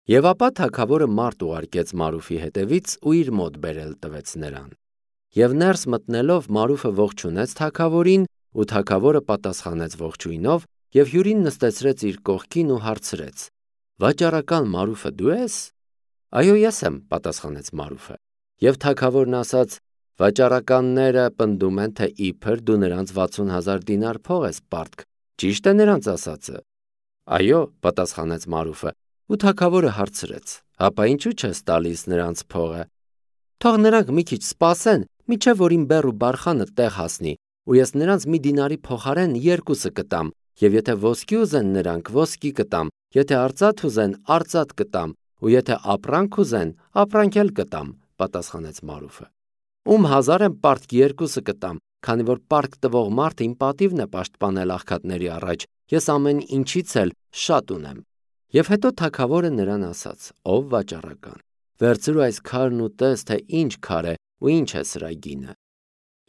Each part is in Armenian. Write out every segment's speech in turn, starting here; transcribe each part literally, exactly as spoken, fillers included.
Եվ ապա թագավորը մարդ ուղարկեց Մարուֆի հետևից ու իր մոտ բերել տվեց նրան։ Եվ ներս մտնելով Մարուֆը ողջունեց թագավորին, ու թագավորը պատասխանեց ողջույնով և հյուրին նստեցրեց իր կողքին ու հարցրեց. «Վաճառական Մարուֆը դու ես»։ «Այո, ես եմ», պատասխանեց Մարուֆը։ Եվ թագավորն ասաց. «Վաճառականները պնդում են, թե իբր դու նրանց վաթսուն հազար դինար փող ես պարտք, ճի՞շտ է նրանց ասածը»։ «Այո», պատասխանեց Մարուֆը, ու թագավորը հարցրեց. «Հապա ինչու չես տալիս նրանց փողը»։ «Թող նրանք մի քիչ սպասեն, մինչև որ իմ բեռ ու բարխանը տեղ հասնի, ու ես նրանց մի դինարի փոխարեն երկուսը կտամ, և եթե ոսկի ուզեն նրանք, ոսկի կտամ, եթե արծաթ ուզեն, արծաթ կտամ, ու եթե ապրանք ուզեն, ապրանք էլ կտամ», պատասխանեց Մարուֆը։ «Ում հազար եմ պարտք, երկուսը կտամ, քանի որ պարտք տվող մարդը իմ պատիվն է պաշտպանել աղքատների առաջ, ես ամեն ինչից էլ շատ ունեմ»։ Եվ հետո թագավորը նրան ասաց. «Ով վաճառական, վերցրու այս քարն ու տես, թե ինչ քար է ու ինչ է սրա գինը»։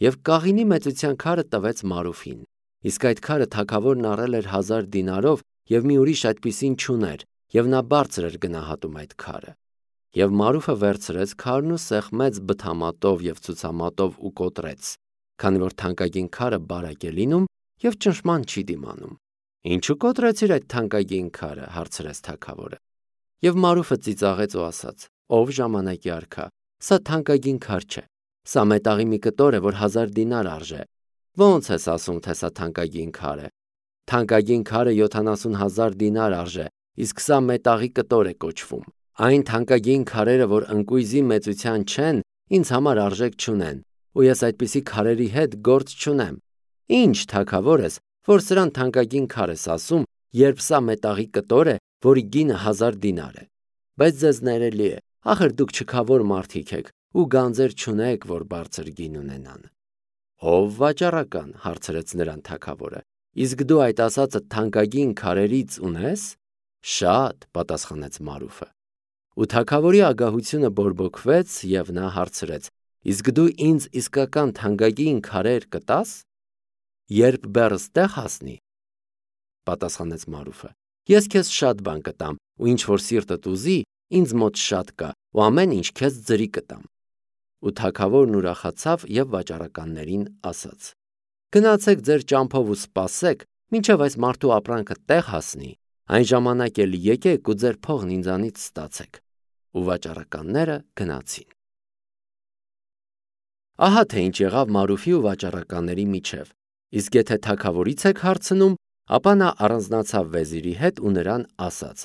Եվ կաղինի մեծության քարը տվեց Մարուֆին, իսկ այդ քարը թագավորն առել էր հազար դինարով և մի ուրիշ այդպիսին չուներ, և նա բարձր էր գնահատում այդ քարը։ Եվ Մարուֆը վերցրեց քարն ու սեղմեց բթամատով և ցուցամատով ու կոտրեց, քանի որ թանկագին քարը բարակ է լինում և ճնշման չի դիմանում։ «Ինչու կոտրեցիր այդ թանկագին քարը»։ հարցրեց թագավորը։ Եվ Մարուֆը ծիծաղեց ու ասաց. «Ով ժամանակի արքա, սա թանկագին քար չէ, սա մետաղի մի կտոր է, որ հազար դինար արժե։ Ո՞նց ես ասում, թե սա թանկագին քար է։ Թանկագին քարը յոթանասուն հազար դինար արժե, իսկ սա մետաղի կտոր է կոչվում։ Այն թանկագին քարերը, որ ընկույզի մեծության չեն, ինձ համար արժեք չունեն, ու ես այդպիսի քարերի հետ գործ չունեմ։ Ինչ թագավոր ես, որ սրան թանկագին քար ես ասում, երբ սա մետաղի կտոր է, որի գինը հազար դինար է։ Բայց ձեզ ներելի է, ախր դուք չքավոր մարդիկ եք ու գանձեր չունեք, որ բարձր գին ունենան»։ «Ով վաճառական», հարցրեց նրան թագավորը, «իսկ դու այդ ասածը թանկագին քարերից ունե՞ս»։ «Շատ», պատասխանեց Մարուֆը։ Ու թագավորի ագահությունը բորբոքվեց, և նա հարցրեց. «Իսկ դու ինձ իսկական թանկագին քարեր կտա՞ս»։ «Երբ բեռս տեղ հասնի», պատասխանեց Մարուֆը, «ես քեզ շատ բան կտամ, ու ինչ որ սիրտդ ուզի, ինձ մոտ շատ կա, ու ամեն ինչ քեզ ձրի կտամ»։ Ու թագավորն ուրախացավ և վաճառականներին ասաց. «Գնացեք ձեր ճամփով ու սպասեք, մինչև այս մարդու ապրանքը տեղ հասնի, այն ժամանակ էլ եկեք ու ձեր փողն ինձանից ստացեք»։ Ու վաճառականները գնացին։ Ահա թե ինչ եղավ Մարուֆի ու վաճառականների միջև։ Իսկ եթե թագավորից եք հարցնում, ապա նա առանձնացավ վեզիրի հետ ու նրան ասաց.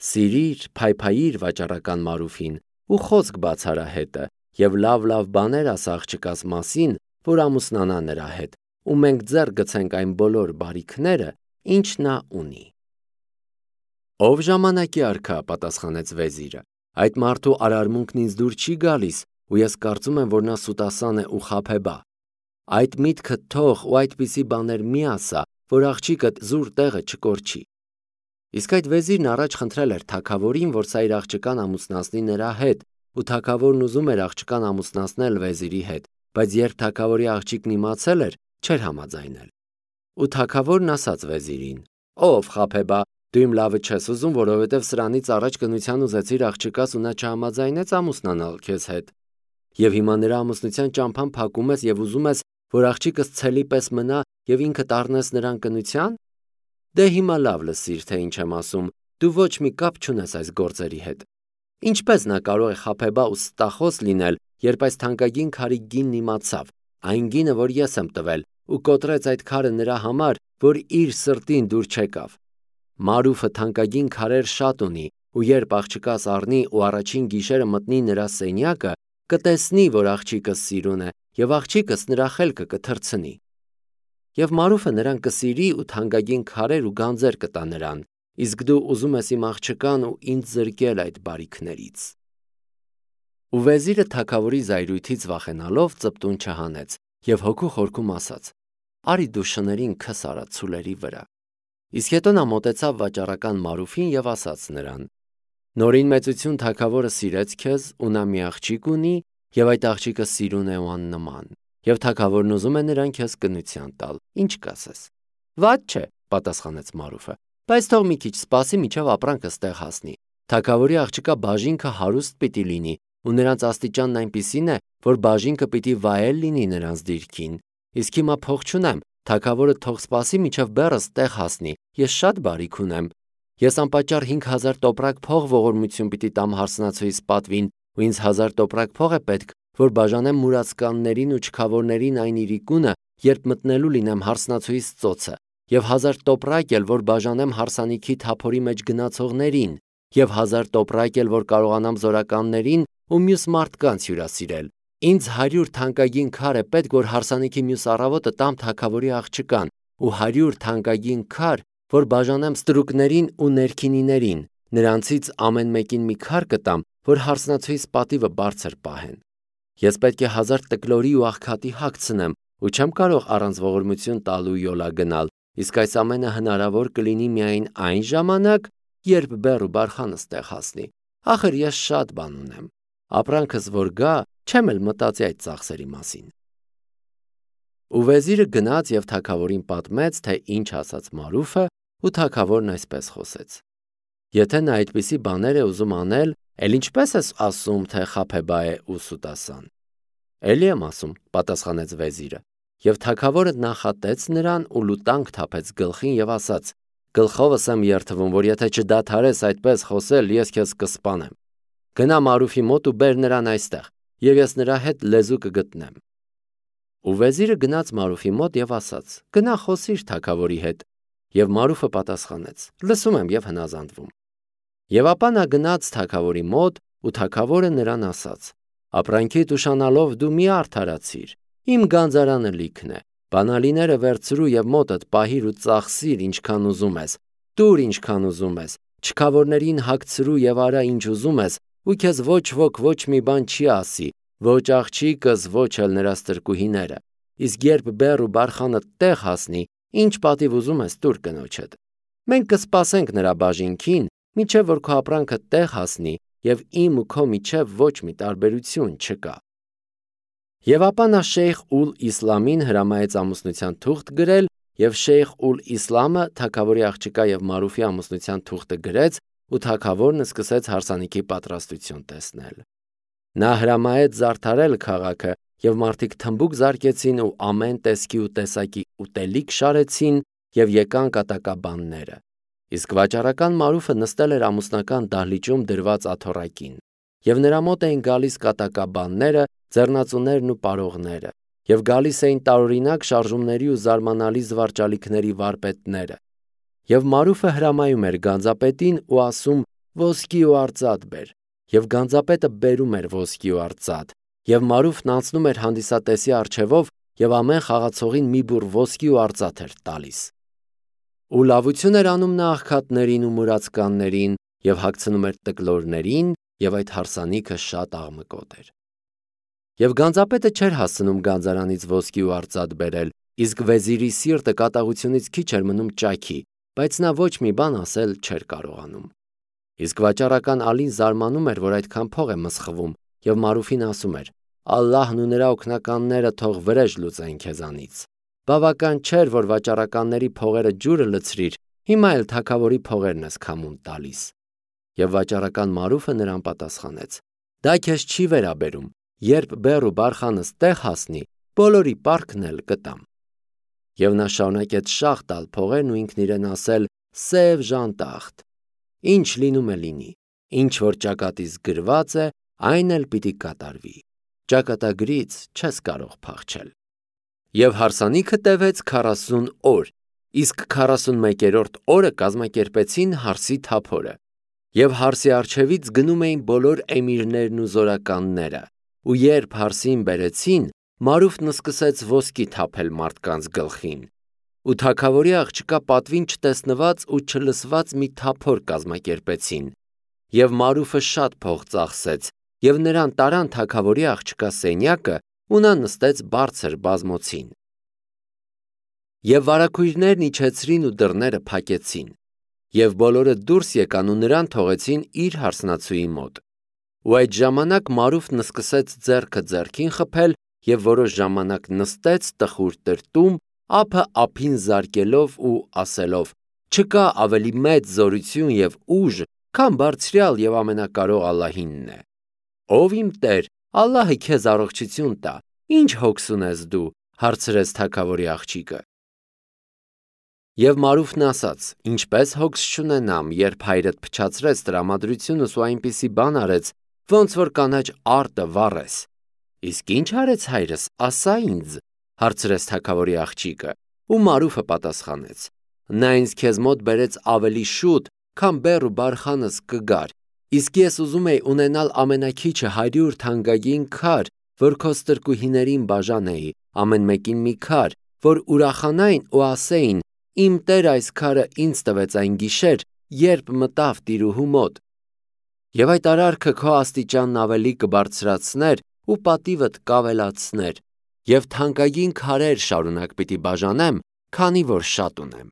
«Սիրիր, փայփայիր վաճառական Մարուֆին ու խոսք բաց արա հետը, և լավ-լավ բաներ ասա աղջկաս մասին, որ ամուսնանա նրա հետ, ու մենք ձեռք գցենք այն բոլոր բարիքները, ինչ նա ունի»։ «Ով ժամանակի արքա», պատասխանեց վեզիրը, «այդ մարդու արարմունքն ինձ դուր չի գալիս, ու ես կարծում եմ, որ նա սուտասան է ու խաբեբա։ Այդ միտքդ թող ու այդպիսի բաներ մի ասա, որ աղջիկդ զուր տեղը չկորչի»։ Իսկ այդ վեզիրն առաջ խնդրել էր թագավորին, որ սա իր աղջկան ամուսնացնի նրա հետ, ու թագավորն ուզում էր աղջկան ամուսնացնել վեզիրի հետ, բայց երբ թագավորի աղջիկն իմացել էր, չէր համաձայնել։ Ու թագավորն ասաց վեզիրին. «Ով խաբեբա, դու իմ լավը չես ուզում, որովհետև սրանից առաջ կնության ուզեցիր աղջկաս ու նա չհամաձայնեց ամուսնանալ քեզ հետ։ Եվ հիմա նրա ամուսնության ճամփան փակում ես և ուզում ես, որ աղջիկս ցելի պես մնա և ինքդ առնես նրան կնության։ Դե հիմա լավ լսիր, թե ինչ եմ ասում, դու ոչ մի կապ չունես այս գործերի հետ։ Ինչպե՞ս նա կարող է խաբեբա ու ստախոս լինել, երբ այս թանկագին քարի գինն իմացավ, այն գինը, որ ես եմ տվել, ու կոտրեց այդ քարը նրա համար, որ իր սրտին դուր չեկավ։ Մարուֆը թանկագին քարեր շատ ունի, ու երբ աղջկաս առնի ու առաջին գիշերը մտնի նրա սենյակը, կտեսնի, որ աղջիկս սիրուն է, և աղջիկս նրա խելքը կթռցնի։ Եվ Մարուֆը նրան կսիրի ու թանկագին քարեր ու գանձեր կտա նրան, իսկ դու ուզում ես իմ աղջկան ու ինձ զրկել այդ բարիքներից»։ Ու վեզիրը թագավորի զայրույթից վախենալով ծպտուն չհանեց և հոգու խորքում ասաց. «Արի դու շներին քս արա ցուլերի վրա»։ Իսկ հետո նա մոտեցավ վաճառական Մարուֆին և ասաց նրան. «Նորին մեծություն թագավորը սիրեց քեզ, ու նա մի աղջիկ ունի, և այդ աղջիկը սիրուն է ու աննման, և թագավորն ուզում է նրան քեզ կնության տալ, ինչ կասես»։ «Վատ չէ», պատասխանեց Մարուֆը, «բայց թող մի քիչ սպասի, մինչև ապրանքս տեղ հասնի, Թագավորի աղջկա բաժինքը հարուստ պիտի լինի, ու նրանց աստիճանն այնպիսին է, որ բաժինքը պիտի վայել լինի նրանց դիրքին։ Իսկ հիմա փող չունեմ, թագավորը թող սպասի մինչև բեռս տեղ հասնի, ես շատ բարիք ունեմ։ Ես անպատճառ հինգ հազար տոպրակ փող ողորմություն պիտի տամ հարսնացուիս պատվին, ու ինձ հազար տոպրակ փող է պետք, որ բաժանեմ մուրացկաններին ու չքավորներին այն իրիկունը, երբ մտնելու լինեմ հարսնացուիս ծոցը, եւ հազար տոպրակ էլ, որ բաժանեմ հարսանիքի թափորի մեջ գնացողներին, եւ հազար տոպրակ էլ, որ կարողանամ զորականներին ու մյուս մարդկանց հյուրասիրել։ Ինձ հարյուր թանկագին քար է պետք, որ հարսանիքի մյուս առավոտը տամ թագավորի աղջկան, ու հարյուր թանկագին քար, որ բաժանեմ ստրուկներին ու ներքինիներին, նրանցից ամեն մեկին մի քար կտամ, որ հարսնացուիս պատիվը բարձր պահեն։ Ես պետք է հազար տկլորի ու աղքատի հագցնեմ, ու չեմ կարող առանց ողորմություն տալու յոլա գնալ, իսկ այս ամենը հնարավոր կլինի միայն այն ժամանակ, երբ բեռ ու բարխանս տեղ հասնի։ Ախր ես շատ բան ունեմ, ապրանքս որ գա, չեմ էլ մտածի այդ ծախսերի մասին։ Ու վեզիրը գնաց եւ թագավորին պատմեց, թե ինչ ասաց Մարուֆը, ու թագավորն այսպես խոսեց. Եթե նա այդպիսի բաներ է ուզում անել, էլ ինչպես ես ասում, թե Խափեբա է ու Սուտասան։ Էլի եմ ասում, պատասխանեց վեզիրը, եւ թագավորը նախատեց նրան ու լուտանք թափեց գլխին եւ ասաց. Գլխովս եմ երթվում, որ եթե չդադարես այդպես խոսել, ես քեզ կսպանեմ։ Գնա Մարուֆի մոտ ու բեր նրան այստեղ, եւ ես նրա հետ լեզու կգտնեմ։ Ու վեզիրը գնաց Մարուֆի մոտ եւ ասաց. Գնա խոսիր թագավորի հետ։ Եվ Մարուֆը պատասխանեց. Լսում եմ եւ հնազանդվում։ Եվ ապա նա գնաց թագավորի մոտ, ու թագավորը նրան ասաց. Ապրանքիդ ուշանալով դու մի արդարացիր, իմ գանձարանը լիքն է, բանալիները վերցրու եւ մոտդ պահիր ու ծախսիր ինչքան ուզում ես, տուր ինչքան ուզում ես, չքավորներին հագցրու եւ արա ինչ ուզում ես, ու քեզ ոչ ոք ոչ մի բան չի ասի, ոչ աղջիկս, ոչ էլ նրա ստրկուհիները, իսկ երբ բեռ ու բարխանը տեղ հասնի, ինչ պատիվ ուզում ես տուր կնոջդ։ Մենք կսպասենք նրա բաժինքին, մինչև որ քո ապրանքը տեղ հասնի, եւ իմ ու քո միջև ոչ մի տարբերություն չկա։ Եվ ապա նա Շեյխ Ուլ Իսլամին հրամայեց ամուսնության թուղթ գրել, եւ Շեյխ Ուլ Իսլամը թագավորի աղջկա եւ Մարուֆի ամուսնության թուղթը գրեց, ու թագավորն սկսեց հարսանիքի պատրաստություն տեսնել։ Նա հրամայեց զարդարել քաղաքը, եւ մարդիկ թմբուկ զարկեցին ու ամեն տեսքի ու տեսակի ուտելիք շարեցին, եւ եկան կատակաբանները։ Իսկ վաճառական Մարուֆը նստել էր ամուսնական դահլիճում դրված աթոռակին, եւ նրա մոտ էին գալիս կատակաբանները, ձեռնածուներն ու պարողները, եւ գալիս էին տարօրինակ շարժումների ու զարմանալի զվարճալիքների վարպետները։ Եվ Մարուֆը հրամայում էր գանձապետին ու ասում. ոսկի ու արծաթ բեր, եւ գանձապետը բերում էր ոսկի ու արծաթ, եւ Մարուֆն անցնում էր հանդիսատեսի առջևով եւ ամեն խաղացողին մի բուռ ոսկի ու արծաթ էր տալիս։ Ու լավություն էր անում նա աղքատներին ու մուրացկաններին եւ հագցնում էր տկլորներին, եւ այդ հարսանիքը շատ աղմկոտ էր։ Եվ գանձապետը չէր հասցնում գանձարանից ոսկի ու արծաթ բերել, իսկ վեզիրի սիրտը կատաղությունից քիչ էր մնում ճաքի, բայց նա ոչ մի բան ասել չէր կարողանում։ Իսկ վաճառական Ալին զարմանում էր, որ այդքան փող է մսխվում, եւ Մարուֆին ասում էր. Ալլահն ու նրա օգնականները թող վրեժ լուծեն քեզանից։ Բավական չէր, որ վաճառականների փողերը ջուրը լցրիր, հիմա էլ թագավորի փողերն ես քամուն տալիս։ Եվ վաճառական Մարուֆը նրան պատասխանեց. Դա քեզ չի վերաբերում, երբ բեռ ու բարխանս տեղ հասնի, բոլորի պարտքն էլ կտամ։ Եվ նա շարունակեց շաղ տալ փողերն ու ինքն իրեն ասել. Սև ժանտախտ, ինչ լինում է լինի, ինչ որ ճակատից գրված է, այն էլ պիտի կատարվի, ճակատագրից չես կարող փախչել։ Եվ հարսանիքը տևեց քառասուն օր, իսկ քառասունմեկերորդ օրը կազմակերպեցին հարսի թափորը, եւ հարսի առջևից գնում էին բոլոր էմիրներն ու զորականները, ու երբ հարսին բերեցին, Մարուֆն սկսեց ոսկի թափել մարդկանց գլխին, ու թագավորի աղջկա պատվին չտեսնված ու չլսված մի թափոր կազմակերպեցին, եւ Մարուֆը շատ փող ծախսեց, եւ նրան տարան թագավորի աղջկա սենյակը, ու նա նստեց բարձր բազմոցին։ Եվ վարագույրներն իջեցրին ու դռները փակեցին, եւ բոլորը դուրս եկան ու նրան թողեցին իր հարսնացուի մոտ։ Ու այդ ժամանակ Մարուֆն սկսեց ձեռքը ձեռքին խփել եւ որոշ ժամանակ նստեց տխուր տրտում, ափը ափին զարկելով ու ասելով. Չկա ավելի մեծ զորություն եւ ուժ, քան բարձրյալ եւ ամենակարող Ալլահինն է։ Ով իմ Տեր, Ալլահը քեզ առողջություն տա, ինչ հոգս ունես դու, հարցրեց թագավորի աղջիկը։ Եվ Մարուֆն ասաց. ինչպես հոգս չունենամ, երբ հայրդ փչացրեց տրամադրությունս ու այնպիսի բան արեց, ոնց որ կանաչ արտը վառես։ Իսկ ինչ արեց հայրս, ասա ինձ, հարցրեց թագավորի աղջիկը, ու Մարուֆը պատասխանեց. նա ինձ քեզ մոտ բերեց ավելի շուտ, քան բեռ ու բարխանս կգար, իսկ ես ուզում էի ունենալ ամենակիչը հարյուր թանկագին քար, որ քո ստրկուհիներին բաժանեի, ամեն մեկին մի քար, որ ուրախանային ու ասեին. իմ Տեր այս քարը ինձ տվեց այն գիշեր, երբ մտավ տիրուհու մոտ։ Եվ այդ արարքը քո աստիճանն ավելի կբարձրացներ ու պատիվդ կավելացներ, եւ թանկագին քարեր շարունակ պիտի բաժանեմ, քանի որ շատ ունեմ։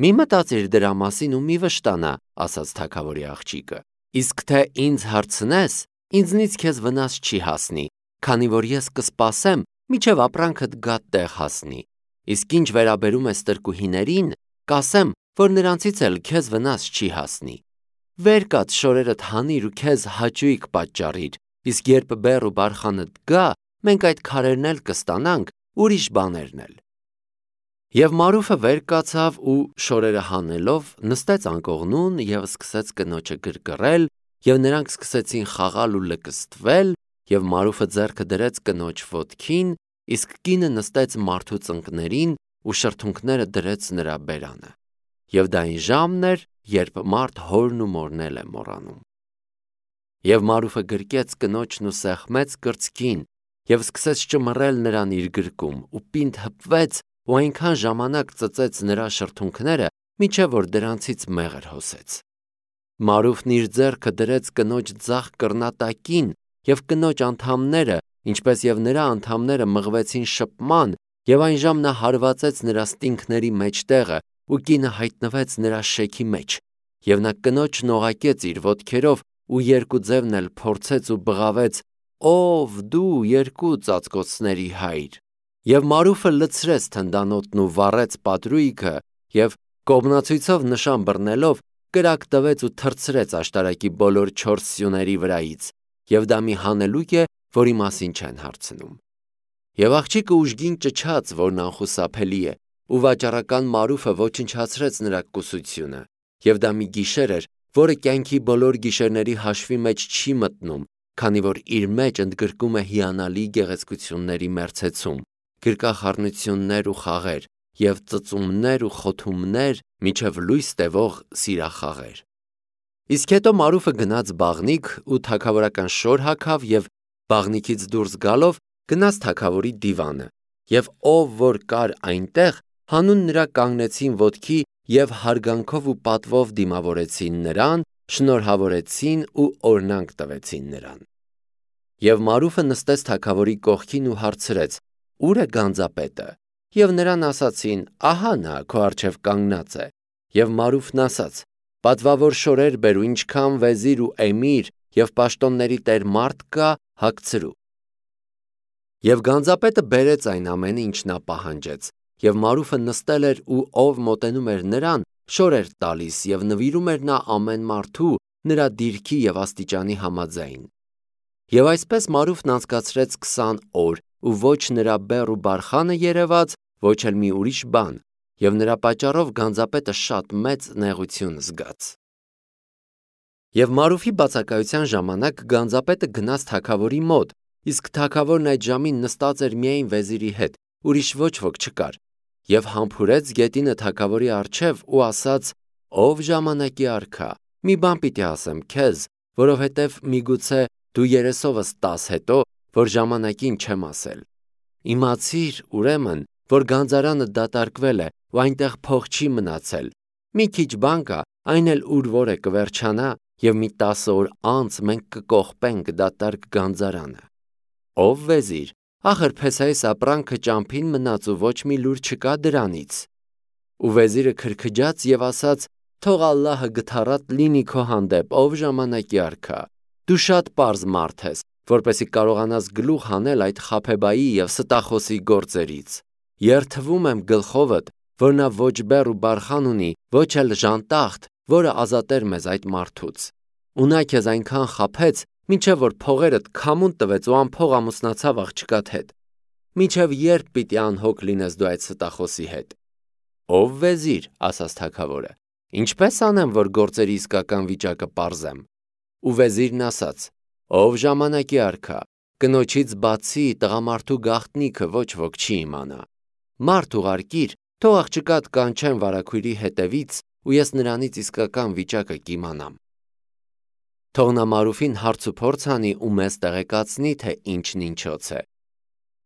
Մի մտածիր դրա մասին ու մի վշտանա, ասաց թագավորի աղջիկը, իսկ թե ինձ հարցնես, ինձնից քեզ վնաս չի հասնի, քանի որ ես կսպասեմ, մինչև ապրանքդ գա տեղ հասնի, իսկ ինչ վերաբերում է ստրկուհիներին, կասեմ, որ նրանցից էլ քեզ վնաս չի հասնի։ Վեր կաց շորերդ հանիր ու քեզ հաճույք պատճառիր, իսկ երբ բեռ ու բարխանդ գա, մենք այդ քարերն էլ կստանանք, ուրիշ բաներն էլ։ Եվ Մարուֆը վեր կացավ ու շորերը հանելով նստեց անկողնուն եւ սկսեց կնոջը գրգռել, եւ նրանք սկսեցին խաղալ ու լկստվել, եւ Մարուֆը ձեռքը դրեց կնոջ ոտքին, իսկ կինը նստեց մարդու ծնկներին ու շրթունքները դրեց նրա բերանը։ Եվ դա այն ժամն էր, երբ մարդ հորն ու մորն էլ է մոռանում։ Եվ Մարուֆը գրկեց կնոջն ու սեղմեց կրծքին եւ սկսեց ճմռել նրան իր գրկում ու պինդ հպվեց ու այնքան ժամանակ ծծեց նրա շրթունքները, մինչև որ դրանցից մեղր հոսեց։ Մարուֆն իր ձեռքը դրեց կնոջ ձախ կռնատակին եւ կնոջ անդամները, ինչպես եւ նրա անդամները մղվեցին շփման, եւ այն ժամ նա հարվածեց նրա ստինքների մեջտեղը ու կինը հայտնվեց նրա շեքի մեջ, եւ նա կնոջն օղակեց իր ոտքերով ու երկու ձևն էլ փորձեց ու բղավեց. «Ով դու երկու ծածկոցների հայր»։ Եվ Մարուֆը լցրեց թնդանոթն ու վառեց պատրույգը եւ կողմնացույցով նշան բռնելով կրակ տվեց ու թռցրեց աշտարակի բոլոր չորս սյուների վրայից, եւ դա մի հանելուկ է, որի մասին չեն հարցնում։ Եվ աղջիկը ուժգին ճչաց, որն անխուսափելի է, ու վաճառական Մարուֆը ոչնչացրեց նրա կուսությունը, եւ դա մի գիշեր էր, որը կյանքի բոլոր գիշերների հաշվի մեջ չի մտնում, քանի որ իր մեջ ընդգրկում է հիանալի գեղեցկությունների մերձեցում, գրկախառնություններ ու խաղեր, եւ ծծումներ ու խոթումներ, միջև լույս տևող սիրախաղեր։ Իսկ հետո Մարուֆը գնաց բաղնիք ու թագավորական շոր հագավ եւ բաղնիքից դուրս գալով գնաց թագավորի դիվանը, եւ ով որ կար այնտեղ, հանուն նրա կանգնեցին ոտքի եւ հարգանքով ու պատվով դիմավորեցին նրան, շնորհավորեցին ու օրնանք տվեցին նրան։ Եվ Մարուֆը նստեց թագավորի կողքին ու հարցրեց. «Ուր է գանձապետը»։ Եվ նրան ասացին. «Ահա նա քո առջև կանգնած է»։ Եվ Մարուֆն ասաց. «Պատվավոր շորեր բեր ու ինչքան վեզիր ու էմիր եւ պաշտոնների տեր մարդ կա, հագցրու»։ Եվ գանձապետը բերեց այն ամենը, ինչ նա պահանջեց, եւ Մարուֆը նստել էր ու ով մոտենում էր նրան, շոր էր տալիս եւ նվիրում էր նա ամեն մարդու նրա դիրքի եւ աստիճանի համաձայն։ Եվ այսպես Մարուֆն անցկացրեց քսան օր, ու ոչ նրա բեռ ու բարխանը երևաց, ոչ էլ մի ուրիշ բան, եւ նրա պատճառով գանձապետը շատ մեծ նեղություն զգաց։ Եվ Մարուֆի բացակայության ժամանակ գանձապետը գնաց թագավորի մոտ, իսկ թագավորն այդ ժամին նստած էր միայն վեզիրի հետ, ուրիշ ոչ ոք չկար, եւ համբուրեց գետինը թագավորի առջև ու ասաց. «Ով ժամանակի արքա, մի բան պիտի ասեմ քեզ, որովհետև միգուցե դու երեսովս տաս հետո, որ ժամանակին չեմ ասել։ Իմացիր, ուրեմն, որ գանձարանը դատարկվել է ու այնտեղ փող չի մնացել։ Մի քիչ բան կա, այն էլ ուր որ է կվերջանա, եւ մի տասը օր անց մենք կկողպենք դատարկ գանձարանը»։ Ով վեզիր, ախր Փեսահիս ապրանքը ճամփին մնաց ու ոչ մի լուր չկա դրանից։ Ու վեզիրը քրքջաց եւ ասաց. «Թող Ալլահը գթառատ լինի քո հանդեպ, ով ժամանակի արքա։ Դու շատ պարզ մարդ ես, որպեսզի կարողանաս գլուխ հանել այդ խաբեբայի եւ ստախոսի գործերից։ Երթվում եմ գլխովդ, որ նա ոչ բեռ ու բարխան ունի, ոչ էլ ժանտախտ որը ազատեր մեզ այդ մարդուց։ Ու նա քեզ այնքան խաբեց, մինչև որ փողերդ քամուն տվեց ու ամփող ամուսնացավ աղջկադ հետ։ Մինչև երբ պիտի անհոգ լինես դու այդ ստախոսի հետ։ Ով վեզիր, ասաց թագավորը, ինչպես անեմ, որ գործերի իսկական վիճակը պարզեմ։ Ու վեզիրն ասաց. ով ժամանակի արքա, կնոջից բացի տղամարդու գաղտնիքը ոչ ոք չի իմանա։ Մարդ ուղարկիր, թող աղջկադ կանչեն վարագույրի հետևից, ու ես նրանից իսկական վիճակը կիմանամ։ Թող նա Մարուֆին հարց ու փորձ անի ու մեզ տեղեկացնի, թե ինչն ինչոց է։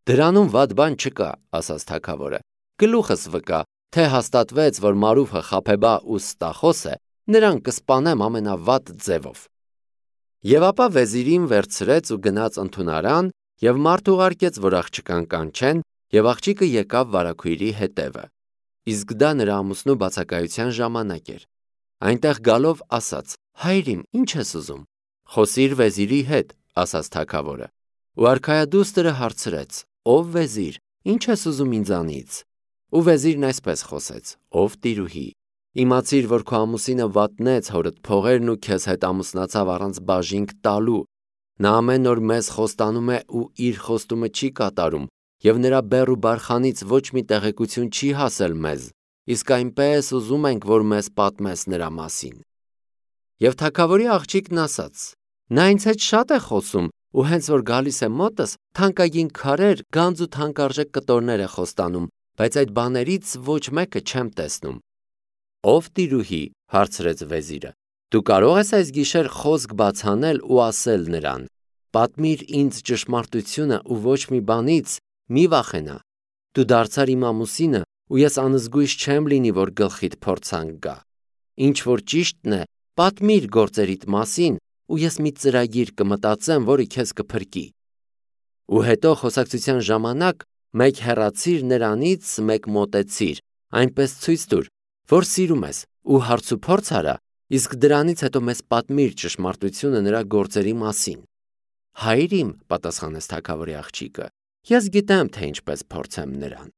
Դրանում վատ բան չկա, ասաց թագավորը, գլուխս վկա, թե հաստատվեց, որ Մարուֆը խաբեբա ու ստախոս է, նրան կսպանեմ ամենավատ ձևով։ Եվ ապա վեզիրին վերցրեց ու գնաց ընդունարան և մարդ ուղարկեց, որ աղջկան կանչեն, և աղջիկը եկավ վարագույրի հետևը։ Իսկ դա նրա ամուսնու բացակայության ժամանակ էր։ Այնտեղ գալով ասաց. հայրիմ, ինչ ես ուզում։ Խոսիր վեզիրի հետ, ասաց թագավորը։ Ու արքայադուստրը հարցրեց. ով վեզիր, ինչ ես ուզում ինձանից։ Ու վեզիրն այսպես խոսեց. ով տիրուհի, իմացիր, որ քո ամուսինը վատնեց հորդ փողերն ու քեզ հետ ամուսնացավ առանց բաժինք տալու։ Նա ամեն օր մեզ խոստանում է ու իր խոստումը չի կատարում, և նրա բեռ ու բարխանից ոչ մի տեղեկություն չի հասել մեզ, իսկ այնպես ուզում ենք, որ մեզ պատմես նրա մասին։ Եվ թագավորի աղջիկն ասաց. նա ինձ հետ շատ է խոսում, ու հենց որ գալիս է մոտս, թանկագին քարեր, գանձ ու թանկարժեք կտորներ է խոստանում, բայց այդ բաներից ոչ մեկը չեմ տեսնում։ Ով տիրուհի, հարցրեց վեզիրը, դու կարող ես այս գիշեր խոսք բաց անել ու ասել նրան. պատմիր ինձ ճշմարտությունը ու ոչ մի բանից մի վախենա։ Դու դարձար իմ ամուսինը, ու ես անզգույշ չեմ լինի, որ գլխիդ փորձանք գա։ Ինչ որ ճիշտն է, պատմիր գործերիդ մասին, ու ես մի ծրագիր կմտածեմ, որը քեզ կփրկի։ Ու հետո խոսակցության ժամանակ մեկ հեռացիր նրանից, մեկ մոտեցիր, այնպես ցույց տուր, որ սիրում ես, ու հարց ու փորձ արա, իսկ դրանից հետո մեզ պատմիր ճշմարտությունը նրա գործերի մասին։ Հայրիմ, պատասխանեց թագավորի աղջիկը, ես գիտեմ, թե ինչպես փորձեմ նրան։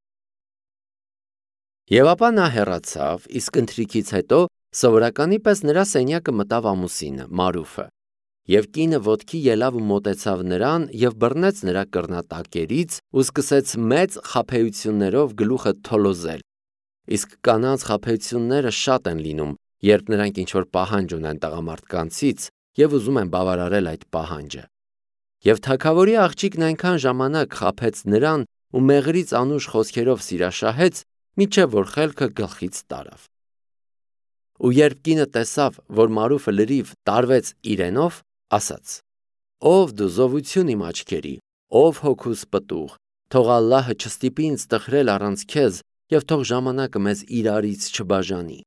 Եվ ապա նա հեռացավ, իսկ ընթրիքից հետո սովորականի պես նրա սենյակը մտավ ամուսինը, Մարուֆը։ Եվ կինը ոտքի ելավ ու մոտեցավ նրան և բռնեց նրա կռնատակերից ու սկսեց մեծ խաբեություններով գլուխը թոլոզել։ Իսկ կանանց խաբեությունները շատ են լինում, երբ նրանք ինչ-որ պահանջ ունեն տղամարդկանցից և ուզում են բավարարել այդ պահանջը։ Եվ թագավորի աղջիկն այնքան ժամանակ խաբեց նրան ու մեղրից անուշ խոսքերով սիրաշահեց, մինչև որ խելքը գլխից տարավ։ Ու երբ կինը տեսավ, որ Մարուֆը լրիվ տարվեց իրենով, ասաց. ով դու զովություն իմ աչքերի, ով հոգուս պտուղ, թող Ալլահը չստիպի ինձ տխրել առանց քեզ և թող ժամանակը մեզ իրարից չբաժանի։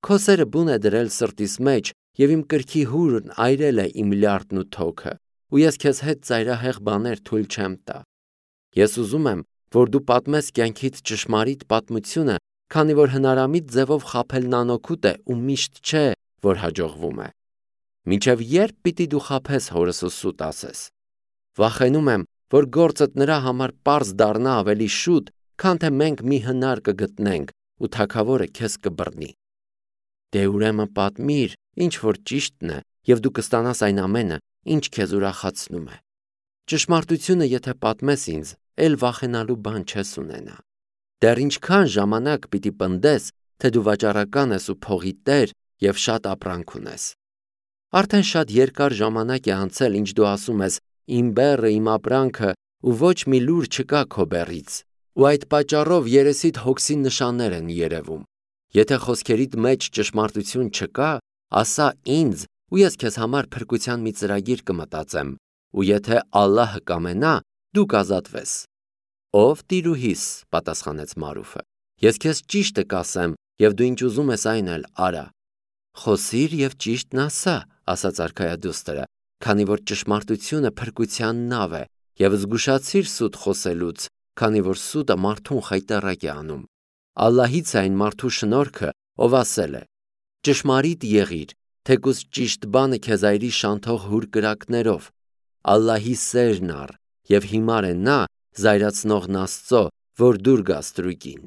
Քո սերը բուն է դրել սրտիս մեջ և իմ կրքի հուրն այրել է իմ լյարդն ու թոքը, ու ես քեզ հետ ծայրահեղ բաներ թույլ չեմ տա։ Ես ուզում եմ, որ դու պատմես կյանքիդ ճշմարիտ պատմությունը, քանի որ հնարամիտ ձևով խաբելն անօգուտ է ու միշտ չէ, որ հաջողվում է։ Մինչև երբ պիտի դու խաբես հորս ու սուտ ասես։ Վախենում եմ, որ գործդ նրա համար պարզ դառնա ավելի շուտ, քան թե մենք մի հնար կգտնենք ու թագավորը քեզ կբռնի։ Դե ուրեմն պատմիր, ինչ որ ճիշտն է, և դու կստանաս այն ամենը, ինչ քեզ ուրախացնում է։ Ճշմարտությունը եթե պատմես ինձ, էլ վախենալու բան չես ունենա։ Դեռ ինչքան ժամանակ պիտի պնդես, թե դու վաճառական ես ու փողի տեր և շատ ապրանք ունես։ Արդեն շատ երկար ժամանակ է անցել, ինչ դու ասում ես. իմ բեռը, իմ ապրանքը, ու ոչ մի լուր չկա քո բեռից, ու այդ պատճառով երեսիդ հոգսի նշաններ են երևում։ Եթե խոսքերիդ մեջ ճշմարտություն չկա, ասա ինձ, ու ես քեզ համար փրկության մի ծրագիր կմտածեմ, ու եթե Ալլահը կամենա, դու կազատվես։ Ով տիրուհիս, պատասխանեց Մարուֆը, ես քեզ ճիշտը կասեմ, և դու ինչ ուզում ես այն էլ արա։ Խոսիր և ճիշտն ասա, ասաց արքայադուստրը, քանի որ ճշմարտությունը փրկության նավ է, և զգուշացիր սուտ խոսելուց, քանի որ սուտը մարդուն խայտառակ է անում։ Ալլահից է այն մարդու շնորհքը, ով ասել է. ճշմարիտ եղիր, թեկուզ ճիշտ բանը քեզ այրի շանթող հուր կրակներով։ Ալլահի սերն առ, և հիմար է նա, զայրացնողն Աստծո, որ դուր գա ստրուկին։